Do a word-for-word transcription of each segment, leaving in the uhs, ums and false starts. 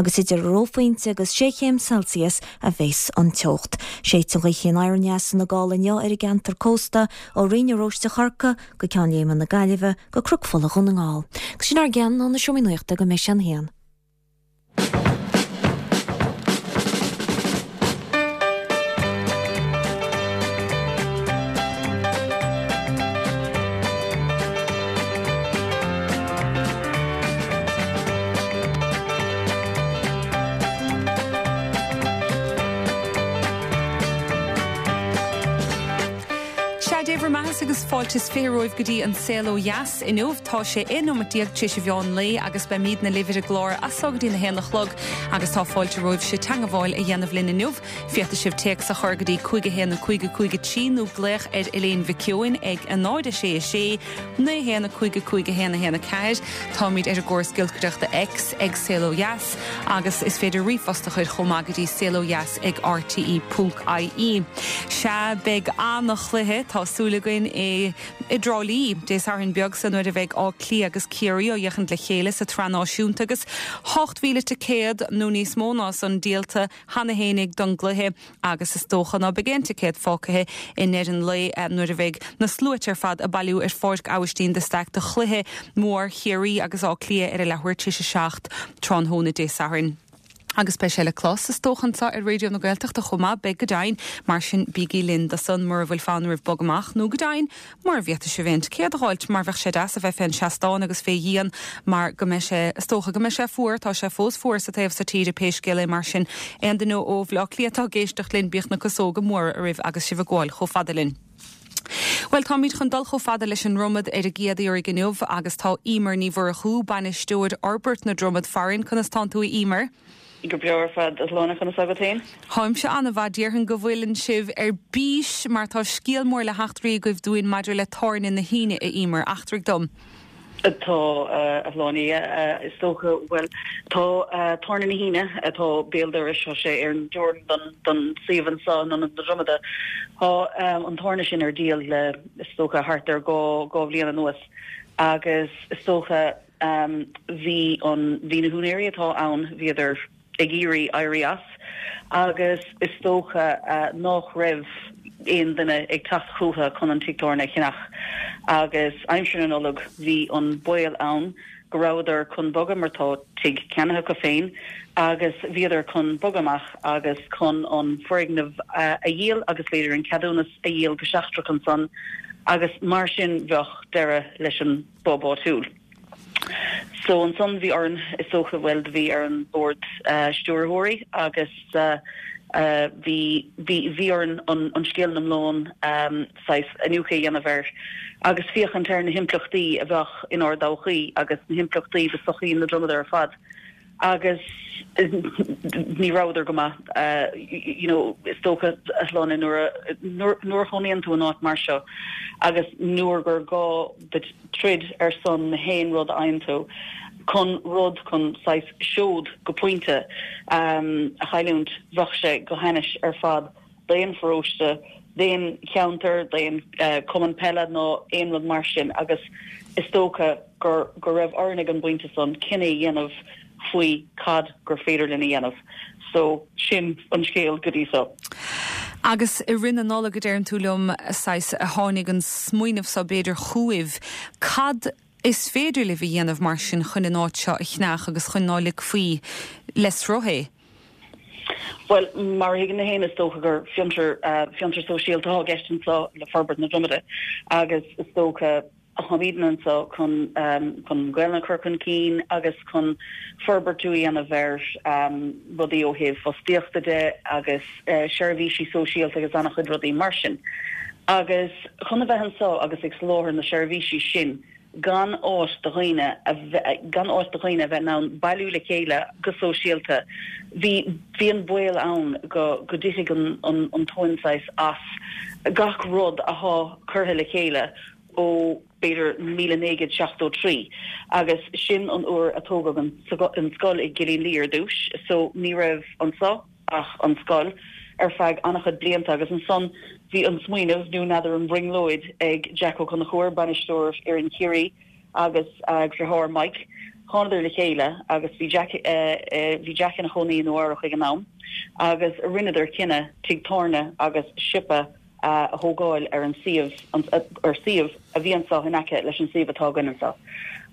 agus idir reophointe agus sé chéim Celsius a bheas an teocht. Séidfidh an ghaoth anoir aneas ina gála inniu ar an gceantar cósta ó Rinn Oróiste Chorcaí go Ceann Léime na Gaillimhe go Cnoc Fola Dhún na nGall. Agus sin ár gceann ó na Seomraí Nuachta go mbeidh sé an haon. Sea, Dé bhur mbeatha agus fáilte is fiche romhaibh go dtí an Saol Ó Dheas inniu. Tá sé aon nóimeat déag tar éis an mheán lae agus beimidne libh ar an gclár as so go dtí na haon a chlog agus tá fáilte romhaibhse teangmháil a dhéanamh linn inniu. Féadfaidh sibh téacs a chur go dtí cúig a haon a cúig a cúig a trí nó glaoch ar Elaine Mhic Eoin ag a náid a sé a sé naoi a haon a cúig a cúig a haon a haon a ceathair. Táimid ar an gcóras giolcaireachta X ag Saol Ó Dheas agus is féidir ríomhphost a chur chomh maith go dtí saolodheas ag rte ponc ie. Sea, beidh an-chluiche, tá súil againn, i dTrá Lí Dé Sathairn beag so nuair a bheidh Áth Cliath agus Ciarraí á fhéachaint le chéile sa tsraith náisiúnta agus ocht mhíle ticéad nó níos mó ná san díolta cheana fhéinig don gcluiche agus is dócha ná beidh aon ticéad fágtha i ndeireadh an lae nuair a bheidh na sluaite ar fad ag bailiú ar Pháirc Aibhistín de Staic do chluiche mór Chiarraí agus Áth Cliath ar a leathuair tar éis a seacht tráthnóna Dé Sathairn. Agus beidh sé le clos, is dócha, anseo ar Raidió na Gaeltachta chomh maith, beidh go deimhin, mar sin bígí linn do san mura bhfuil fonn oraibh bog amach, nó go deimhin, mura bhféadfaidh sibh aon ticéad a dh'fháilt, mar bheadh sé deas a bheith fén seastán agus fé dhíon mar go mbeidh sé, is dócha go mbeidh sé fuar, tá sé fós fuar sa taobh so tíre pé scéal é, mar sin aon duine ó Bhaile Átha Cliath atá ag éisteacht linn, bíodh na casóga móra oraibh agus sibh ag gabháil chomh fada linn. Bhuel, táimid chun dul chomh fada leis an Dromad ar an gcéad iarraidh inniu agus tá Emer Ní Mhurchú, Bainisteoir Fhorbairt na Dromad farainn. Conas tánn tú a Emer? Go breá ar fad, a Shláine, conas agat féin? Táimse an-mhaith, déarfainn go bhfuileann sibh ar bís mar tá scéal mór le heachtraí agaibh dúinn maidir le Tábhairne na hAoine, a Emer, eachtraigh dom. Tá, a Shláine, is dócha, bhuel, tá Tábhairne na hAoine, atá béal dorais, tá sé ar an dteorainn don don suíomh anseo in Ionad na Dromada, tá an tábhairne sin ar díol le, is dócha, thart ar dhá dhá bhliain anuas agus is dócha, Bhí an, bhí na húinéirí atá ann, bhíodar ag iarraidh éirí as agus is dócha nách raibh aon duine ag teacht chucu chun an tigh tábhairne a cheannach agus aimsir na Nollag bhí an baol ann go rabhadar chun bogadh mar tá tigh ceannaithe acu féin agus bhíodar chun bogadh amach agus chun an foirgneamh a dhíol agus b'fhéidir an ceadúnas a dhíol go seachtrach ansan agus mar sin bheadh deireadh leis an bpub áitiúil. So ansan bhí orainn, is dócha, bhuel do bhí ar an bord stiúrthóirí agus bhí, bhí, bhí orainn an, an scéal in iomlán saghas iniúchadh a dhéanamh air agus féachaint ar na himpleachtaí a bheadh inár dtodhchaí agus na himpleachtaí do sochaí na Dromada ar fad. agus ní rabhadar go maith you know is dócha a Shláine nuair a nuair a chónaíonn tú in áit mar seo agus nuair gur gá duit troid ar son na haon rud a fhaigheann tú chun rud chun saghas seod go pointe a chailliúint bheadh sé go hainnis ar fad d'aon pharóiste, d'aon cheantar, d'aon chumann peile nó aon rud mar sin agus is dócha gur go raibh orainn ag an bpointe san cinneadh a dhéanamh faoi cad gur féidir linn a dhéanamh. So, sin an scéal go dtí so. Agus i rith na Nollag, a deireann tú liom, saghas, a tháinig an smaoineamh so b'fhéidir chugaibh. Cad is féidir libh a dhéanamh mar sin chun an áit seo a cheannach agus chun ná ligfí le sruth é? Bhuel, mar a thuigeann tú fhéin, is dócha gur fiontar, fiontar sóisialta atá i gceist anseo le Forbairt na Dromada agus is dócha táimidne anseo chun chun Gaelainn a chur chun cinn agus chun forbairt a dhéanamh ar rudaí ó thaobh fostaíochta de agus seirbhísí sóisialta agus an-chuid rudaí mar sin. Agus chun a bheith anseo agus ag soláthar na seirbhísí sin, gan áit do dhaoine a bheith, gan áit do dhaoine a bheith in ann bailiú le chéile go sóisialta. Bhí, bhí an baol ann go, go dtitfeadh an, an, an tóin saghas as gach rud athá curtha le chéile ó b'fhéidir míle naoi gcéad seachtó trí agus sin an uair a tógadh an, an scoil i gCillín Liath ar dtús so ní raibh anso ach an scoil ar feadh an-chuid blianta agus ansan bhí an smaoineamh, nó n'fheadar an bhrionglóid, ag Jack Ó Conchúir, bainisteoir fhoireann Chiarraí agus a dhriotháir Mike, Thánadar le chéile agus bhí Jack bhí Jack ina chónaí i Nua Eabhrac ag an am agus rinneadar cinneadh tigh tábhairne agus siopa a thógáil ar an suíomh ar suíomh a bhí anseo in aice leis an suíomh atá againn anseo.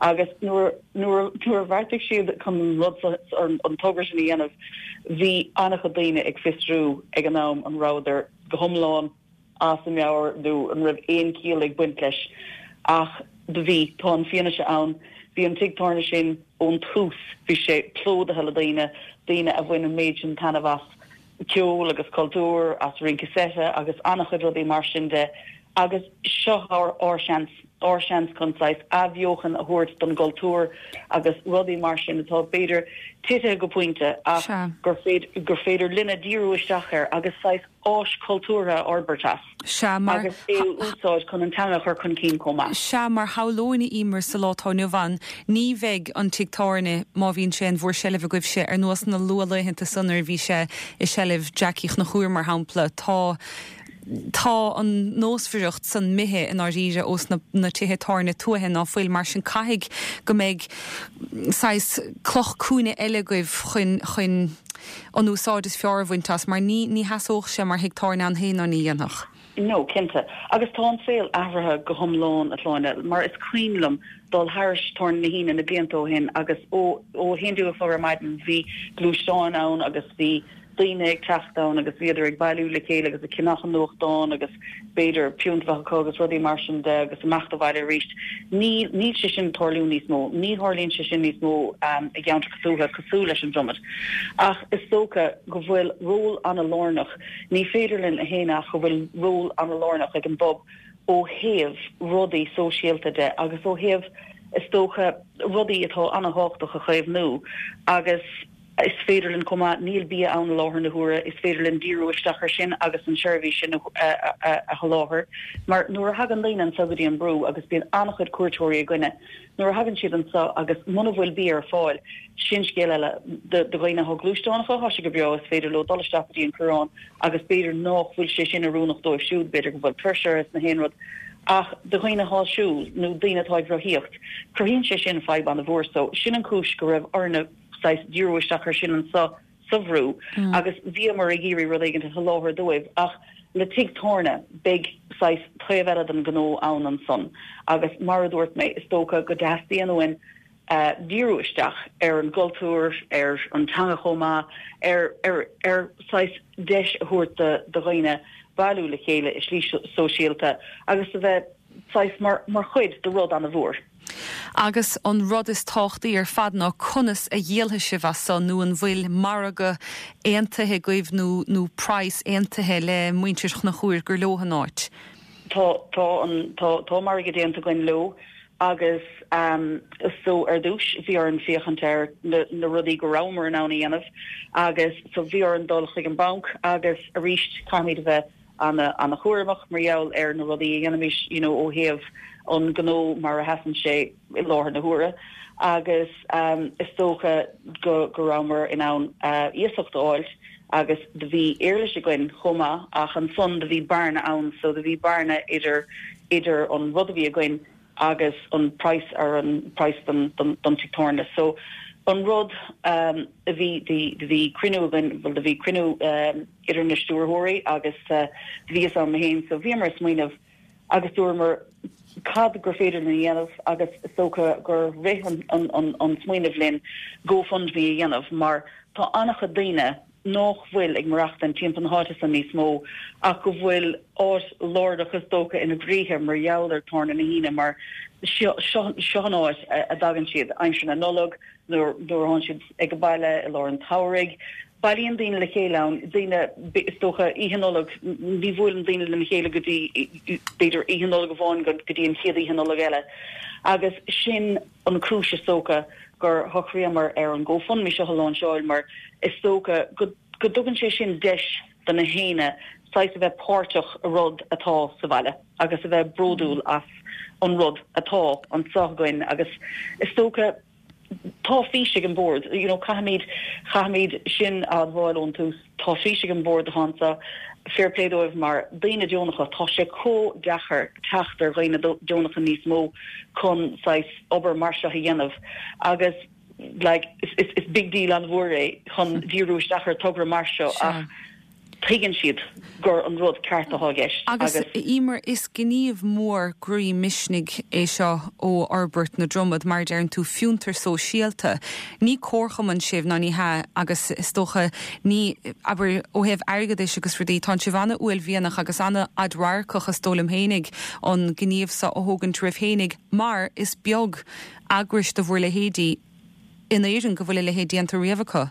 Agus nuair nuair nuair a bheartaigh siad chun an rud an togra sin a dhéanamh, bhí an-chuid daoine ag fiosrú ag an am an rabhadar go hiomlán as a meabhair nó an raibh aon chiall ag baint leis. Ach do bhí, tá an fianaise ann, bhí an tigh tábhairne sin ón tús, bhí sé plódaithe le daoine, daoine a bhain an méid sin taitneamh as ceol agus cultúr, as rince seite agus an-chuid rudaí mar sin de agus seo ár ár seans, ár seans chun saghas athbheochan a thabhairt don gcultúr agus rudaí mar sin atá b'fhéidir tite go pointe ach gur féidir gur féidir linne díriú isteach air agus saghas áis cultúrtha a fhorbairt as. Sea, mar. Agus é a úsáid chun an teanga a chur chun cinn chomh maith. Sea, mar shamhlóinn a Emer sa lá atá inniu ann, ní bheidh an tigh tábhairne, má bhíonn sé in bhur seilbh agaibhse, ar nós na luathlaethanta san nuair a bhí sé i seilbh Jackie Chonchúir, mar shampla. Tá. Tá an nósmhaireacht san imithe i ndáiríre ós na na tithe tábhairne tuaithe ná fuil, mar sin caithfidh go mbeidh saghas cloch cúinne eile agaibh chun chun an úsáid is fearr a bhaint as, mar ní ní sheasódh sé mar thigh tábhairne ann féin ná ní dhéanfadh. No, cinnte. Agus tá an saol athraithe go hiomlán, a Shláine, mar is cuimhin liom dul thairis Tábhairne na hAoine na blianta ó shin agus ó ó a haon déag a chlog ar maidin bhí gluaisteáin ann agus bhí daoine ag teacht ann agus bhíodar ag bailiú le chéile agus ag ceannach an nuachtáin agus b'fhéidir piúnt a bheith acu agus rudaí mar sin de agus amach abhaile arís. Níl níl sé sin ag tarlú níos mó. Ní tharlaíonn sé sin níos mó i gceantracha tuaithe cosúil leis an Dromad. Ach is dócha go bhfuil ról an-lárnach, ní féidir linn a shéanadh ach go bhfuil ról an-lárnach ag an bpub ó thaobh rudaí sóisialta de agus ó thaobh is dócha rudaí atá an-thábhachtach a chaomhnú agus Is féidir linn chomh maith, níl bia ann i láthair na huaire, is féidir linn díriú isteach air sin agus an tseirbhís sin a sholáthar. Mar nuair a thagann daoine anseo go dtí an Brú, agus bíonn an-chuid cuairteoirí againne, nuair a thagann siad anseo agus muna bhfuil bia ar fáil, sin scéal eile. Do dhaoine atá gluaisteánacha, tá sé go breá, is féidir leo dul isteach go dtí an Coireán agus b'fhéidir nách bhfuil sé sin oiriúnach dóibh siúd, b'fhéidir go bhfuil tuirse orthu is na haon rud. Ach do dhaoine atá ag siúl nó daoine atá ag rothaíocht, cruthaíonn sé sin fadhb an-mhór. So, sin an chúis go raibh orainne saghas díriú isteach air sin anseo sa Bhrú agus bhíomar ag iarraidh rud éigin a sholáthar dóibh ach le tigh tábhairne beidh saghas taobh eile den ghnó ann ansan agus mar a dúirt mé is dócha go dteastaíonn uainn díriú isteach ar an gcultúr, ar an teanga chomh maith, ar ar ar saghas deis a thabhairt do do dhaoine bailiú le chéile i slí sóisialta agus a bheith saghas mar mar chuid de rud an-mhór. Agus an rud is tábhachtaí ar fad ná conas a dhíolfaidh sibh as san nó an bhfuil margadh aontaithe agaibh nó nó praghas aontaithe le muintir Chonchúir gur leo an áit? Tá tá an tá tá margadh déanta againn leo agus um so ar dtús bhí orainn féachaint ar na na rudaí go rabhamar in ann a dhéanamh agus so bhí orainn dul chuig an banc agus arís caithfimid a bheith ana-chúramach mar gheall ar na rudaí a dhéanaimid you know ó thaobh an gnó mar a sheasann sé i láthair na huaire agus um is dócha go go rabhamar in ann uh iasacht a fháil agus do bhí éarlais againn chomh maith ach ansan do bhí bearna ann so do bhí bearna idir idir an rud a bhí againn agus an praghas ar an praghas don don don tigh tábhairne so an rud um a bhí do bhí cruinniú againn bhuel do bhí cruinniú um idir na stiúrthóirí agus uh do bhíos ann mé féin so bhíomar ag smaoineamh agus dúramar cad gur féidir linn a dhéanamh agus is dócha gur rith an an an an smaoineamh linn GoFundMe a dhéanamh mar tá an-chuid daoine nách bhfuil ag maireachtaint timpeall na háite san níos mó ach go bhfuil áit lárnach is dócha ina gcroíthe mar gheall ar Tábhairne na hAoine mar seo seo an áit a dtagann siad aimsir na Nollag nuair nuair atánn siad ag an baile i lár an tsamhraidh. Bailíonn daoine le chéile ann, daoine is dócha oíche Nollag ní bhuaileann daoine lena chéile go dtí b'fhéidir oíche Nollag amháin go dtí an chéad oíche Nollag eile agus sin an cúis is dócha gur shocraíomar ar an GoFundMe seo a láinseáil mar is dócha go go dtugann sé sin deis do na héinne saghas a bheith páirteach i rud atá sa bhaile agus a bheith bródúil as an rud atá anseo againn agus is dócha tá fís ag an bord, you know, caithfimid caithfimid sin a admháil ón tús, tá fís ag an bord anseo, fair play dóibh mar daoine deonacha, tá sé chomh deacair teacht ar dhaoine deonacha níos mó chun saghas obair mar seo a dhéanamh agus like is, is, is big deal an-mhór é chun díriú isteach ar togra mar seo ach tuigeann siad gur an rud ceart atá i gceist. Agus Emer is gníomh mór groí misnigh é seo ó Fhorbairt na Dromad mar deireann tú fiontar sóisialta. Ní comharchumann sibh ná ní hea agus is dócha ní abair ó thaobh airgeadais agus rudaí tá sibh an-uaillmhianach agus an-fhadradharcach is dóigh liom fhéinig an gníomh seo a thógaint oraibh fhéinig mar is beag eagrais de bhur leithéidí in Éirinn go bhfuil a leithéid déanta riamh acu.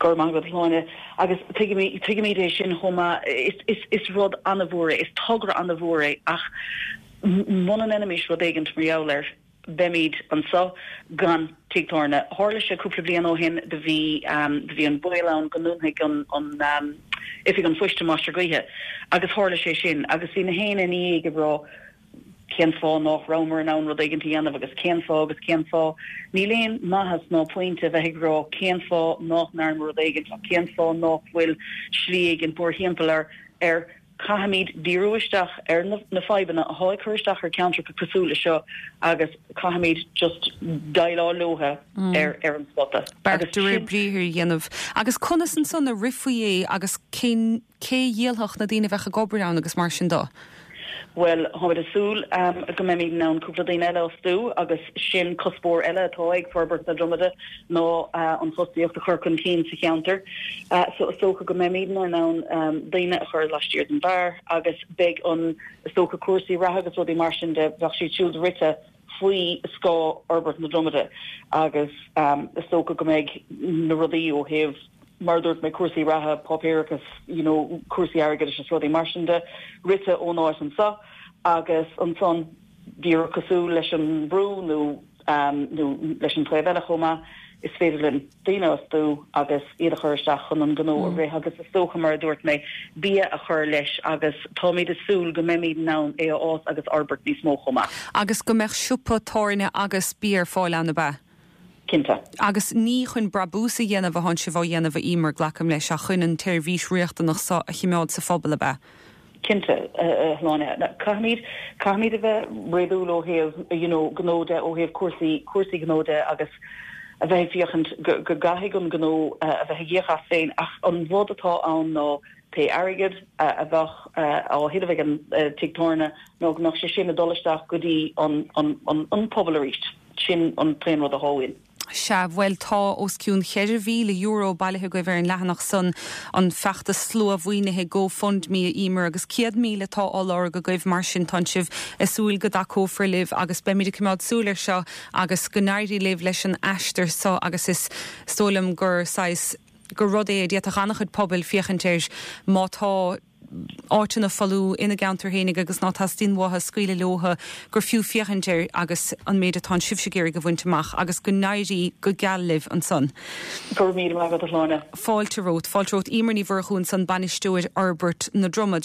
Go raibh maith agat a Shláine agus tuigimid é sin chomh maith is is rud an-mhór é, is togra an-mhór é ach muna ndéanaimid rud éigin mar gheall air beimid anseo gan tigh tábhairne. Tharla sé cúpla bliain ó shin do bhí do bhí an baol ann go ndúnfaidh an an oifig an phoist i Mainistir Gaoithe agus tharla sé sin agus bhí na héinne ina dhiaidh ag rá cén fáth nach rabhamar in ann rud éigin a dhéanamh agus cén fáth agus cén fáth. Níl aon maitheas ná pointe a bheith ag rá cén fáth nach ndearnamar rud éigin ach cén fáth nach bhfuil slí éigin mórthimpeall air ar caithfimid díriú isteach ar na na fadhbanna atá ag cur isteach ar ceantracha cosúil le seo agus caithfimid just déileáil leo ar ar an spota. Beart de réir briathair a dhéanamh. Agus conas ansan a rithfí é agus cén cé dhíolfadh na daoine a bheadh ag obair ann agus mar sin de? Bhuel, táimid ag súil go mbeimid in ann cúpla daoine eile a fhostú agus sin cuspóir eile atá ag Forbairt na Dromada ná an fostaíocht a chur chun cinn sa cheantar. So is dócha go mbeimid in ann daoine a chur laistiar den bheár agus beidh an, is dócha, cúrsaí reatha agus rudaí mar sin de, bheadh siad siúd rite faoi scáth Fhorbairt na Dromada agus is dócha go mbeidh na rudaí ó thaobh mar a dúirt mé, cúrsaí reatha, páipéarachas, you know, cúrsaí airgeadais is rudaí mar sin de, rite ón áit anseo agus ansan díreach cosúil leis an mBrú nó nó leis an taobh eile chomh maith, is féidir linn daoine a fhostú agus iad a chur isteach chun an gnó a rith agus is dócha mar a dúirt mé, bia a chur leis agus táimid ag súil go mbeimid in ann é a fhás agus a fhorbairt níos mó chomh maith. Agus go mbeadh siopa tábhairne agus bia ar fáil ann, ab ea? Cinnte. Agus ní chun brabús a dhéanamh atánn sibh á dhéanamh, a Emer, glacaim leis, ach chun an tseirbhís riachtanach seo a chimeád sa phobal, ab ea? Cinnte, a Shláine. Caithfimid, caithfimid a bheith réadúil ó thaobh, you know, gnó de, ó thaobh cúrsaí, cúrsaí gnó de agus a bheith ag féachaint go, go gcaithfidh an gnó a bheith ag íoc as féin ach an rud atá ann ná pé airgead a bheadh á thuilleamh ag an tigh tábhairne ná go mbeadh sé sin ag dul isteach go dtí an, an, an, an pobal arís. Sin an t-aon rud atá uainn. Sea, bhuel, tá os cionn cheithre mhíle euro bailithe agaibh ar an leathanach san, an feachtas slua-mhaoinithe GoFundMe, a Emer, agus céad míle atá á lorg agaibh, mar sin tánn sibh ag súil go dtacófar libh agus beimid ag coimeád súil air seo agus go n-éirí libh leis an aistear seo agus is dóigh liom gur saghas, gur rud é a d'fhéadfadh an-chuid pobail féachaint air má tá áiteanna folamh ina gceantar fhéinig agus ná teastaíonn uathu scaoileadh leothu gur fiú féachaint air agus an méid atánn sibhse ag iarraidh a bhaint amach agus go n-éirí go geal libh ansan. Go raibh míle maith agat a Shláine. Fáilte romhat. Fáilte romhat. Emer Ní Mhurchú ansan, Bainisteoir Fhorbairt na Dromad.